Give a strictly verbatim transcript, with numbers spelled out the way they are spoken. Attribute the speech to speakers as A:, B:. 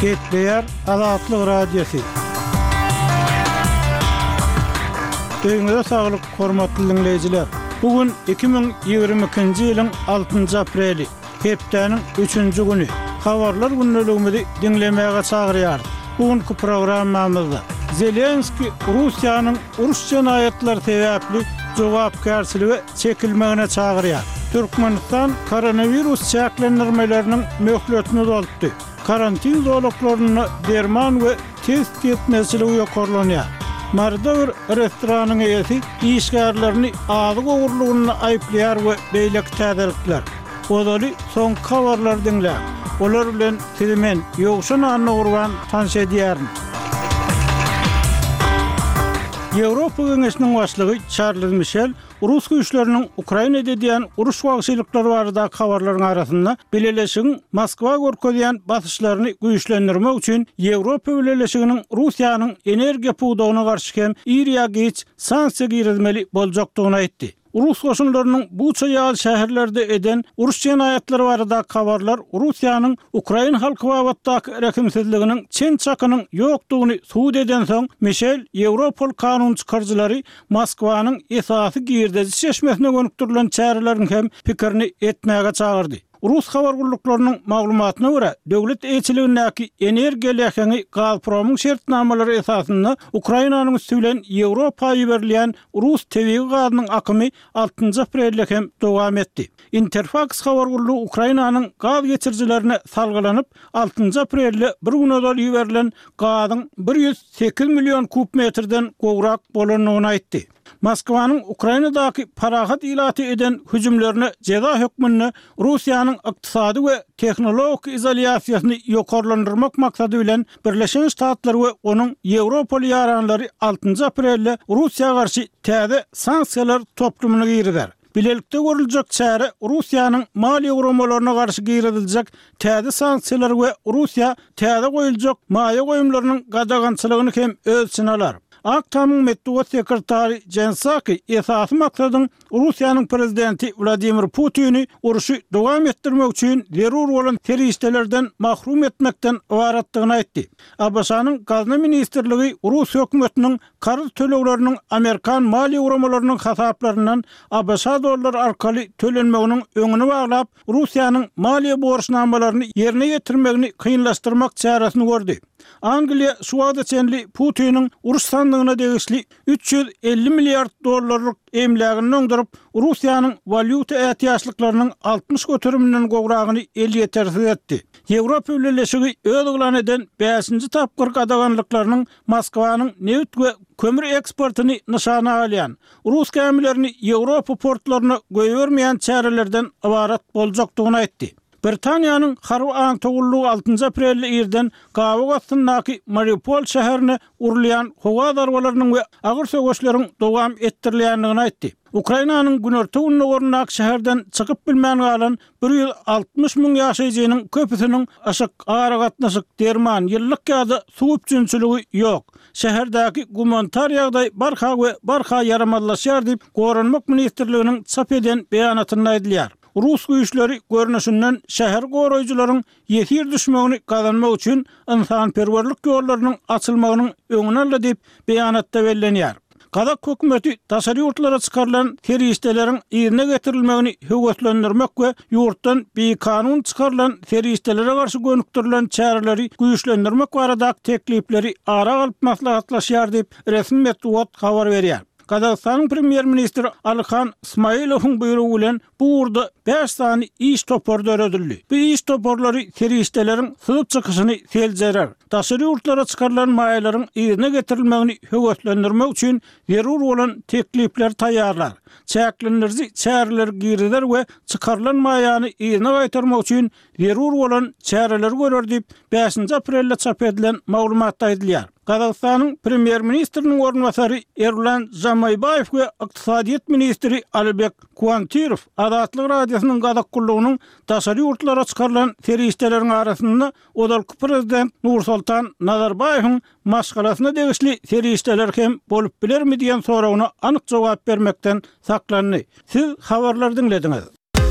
A: Gepleýär Azatlyk Radiosy. Öýüňize saglyk, hormatly diňleýjiler. Bu gün iki müň ýigrimi ikinji ýylyň altynjy apreli, hepdäniň üçünji güni. Habarlar gündeligimizi diňlemäge çagyrýarys. Bu günki programmamyzda Zelenskiý Russiýanyň uruş jenaýatlary sebäpli jogapkärçilige çekilmegine çagyrýar. Türkmenistan koronawirus çäklendirmeleriniň möhletini uzaltdy. Karantin zolaklarynda derman we test ýetmezçiligi ýokarlanýar. Maryda bir restoranyň eýesi işgärlerini azyk ogurlygynda aýyplaýar we beýleki täzelikler. Ozaly soňky habarlary diňläň. Olar bilen sizi men, Ýowşan Annagurban tanyş edýärin. Ýewropa Geňeşiniň başlygy Çarlz Mişel rus güýçleriniň Ukrainada edýän uruş wagşylyklary baradaky habarlaryň arasynda Bileleşigiň Moskwa görkezýän basyşlaryny güýçlendirmek üçin Ýewropa Bileleşiginiň Russiýanyň energiýa pudagyna garşy hem ir ýa giç sanksiýa girizmeli boljakdygyny aýtdy. Rus goşunlarynyň Buça ýaly şäherlerde eden uruş jenaýatlary baradaky habarlar Russiýanyň ukrain halky babatdaky rehimsizliginiň çen-çakynyň ýokdugyny subut edensoň, Mişel ýewropaly kanun çykaryjylary Moskwanyň esasy girdeji çeşmesine gönükdirilen çäreleriň hem pikirini etmäge çagyrdy. Rus habar gulluklarynyň maglumatyna görä, döwlet eýeçiligindäki energiýa läheňi Gazpromyň şertnamalary esasynda Ukrainanyň üsti bilen Ýewropa iberilýän rus tebigy gazynyň akymy altynjy aprelde hem dowam etdi. Interfaks habar gullugy Ukrainanyň gaz geçirijilerine salgylanyp, altynjy aprelde bir gün ozal iberilen gazyň bir ýüz sekiz million kub metrden gowrak bolandygyny aýtdy. Moskwanyň Ukrainadaky parahat ilaty eden hüjümlerine jeza hökmünde Russiýanyň ykdysady we tehnologik izolýasiýasyny ýokarlandyrmak maksady bilen Birleşen Ştatlar we onuň ýewropaly ýaranlary altynjy aprelde Russiýa garşy täze sanksiýalar toplumyny girizer. Bilelikde görüljek çäre Russiýanyň maliýe guramalaryna garşy giriziljek täze sanksiýalary we Russiýa täze goýuljak maýa goýumlarynyň gadagançylygyny hem öz içine alar. Ak Tamyň metbugat sekretary Jen Psaki esasy maksadyň Russiýanyň prezidenti Wladimir Putini urşy dowam etdirmek üçin zerur bolan serişdelerden mahrum etmekden ybaratdygyny aýtdy. A B Ş-nyň Gazna ministrligi rus hökümetiniň karz tölegleriniň amerikan maliýe guramalarynyň hasaplaryndan A B Ş dollary arkaly tölenmeginiň öňüni baglap, Russiýanyň maliýe borçnamalaryny ýerine ýetirmegini kynlaşdyrmak çäresini gördi. Angliýa şu wagta çenli Putiniň uruş sandygyna degişli üç ýüz elli milliard dollarlyk emlägini doňduryp, Russiýanyň walýuta ätiýaçlyklarynyň altmyş göteriminden gowragyny elýetersiz etdi. Ýewropa Bileleşigi öz yglan eden bäşinji tapgyr gadaganlyklarynyň Moskwanyň nebit we kömür eksportyny nyşana alýan, rus gämilerini Ýewropa portlaryna goýbermeýän çärelerden ybarat boljakdygyny aýtdy. Britaniýanyň harby aňtaw gullugy altynjy aprelde irden gabyk astyndaky Mariupol şäherine urulýan howa zarbalarynyň we agyr söweşleriň dowam etdirilýändigini aýtdy. Ukrainanyň günorta-gündogaryndaky şäherden çykyp bilmän galan bir ýüz altmyş müň ýaşaýjynyň köpüsiniň yşyk, aragatnaşyk, derman, ýyllyk ýa-da suw üpjünçiligi ýok. Şäherdäki gumanitar ýagdaý barha we barha ýaramazlaşýar diýip, Goranmak ministrliginiň çap eden beýanatynda aýdylýar. Rus güýçleri görnüşinden şäher goraýjylaryň ýesir düşmegini gazanmak üçin ynsanperwerlik ýollarynyň açylmagynyň öňüni aldy diýip, beýanatda bellenýär. Gazak hökümeti daşary ýurtlara çykarylan serişdeleriň yzyna getirilmegini höweslendirmek we ýurtdan bikanun çykarylan serişdelere garşy gönükdirilen çäreleri güýçlendirmek baradaky teklipleri ara alyp maslahatlaşýar diýip, resmi metbugat habar berýär. Gazagystanyň premýer-ministri Alyhan Smailowyň buýrugy bilen bu ugurda bäş sany iş topary döredildi. Bu iş toparlary serişdeleriň syzyp çykyşyny seljerer, daşary ýurtlara çykarylan maýalaryň yzyna getirilmegini höweslendirmek üçin zerur bolan teklipleri taýýarlar, çäklendiriji çäreleri girizer we çykarylan maýany yzyna gaýtarmak üçin zerur bolan çäreleri görer diýip, bäşinji aprelde çap edilen maglumatda aýdylýar. Gazagystanyň premýer-ministriniň orunbasary Erlan Žamaýbaýew we ykdysadyýet ministri Alibek Kuantirow Azatlyk Radiosynyň Gazak gullugynyň daşary ýurtlara çykarylan serişdeleriň arasynda ozalky prezident Nursultan Nazarbaýewiň maşgalasyna degişli serişdeler hem bolup bilermi diýen soragyna anyk jogap bermekden saklandy. Siz habarlary diňlediňiz.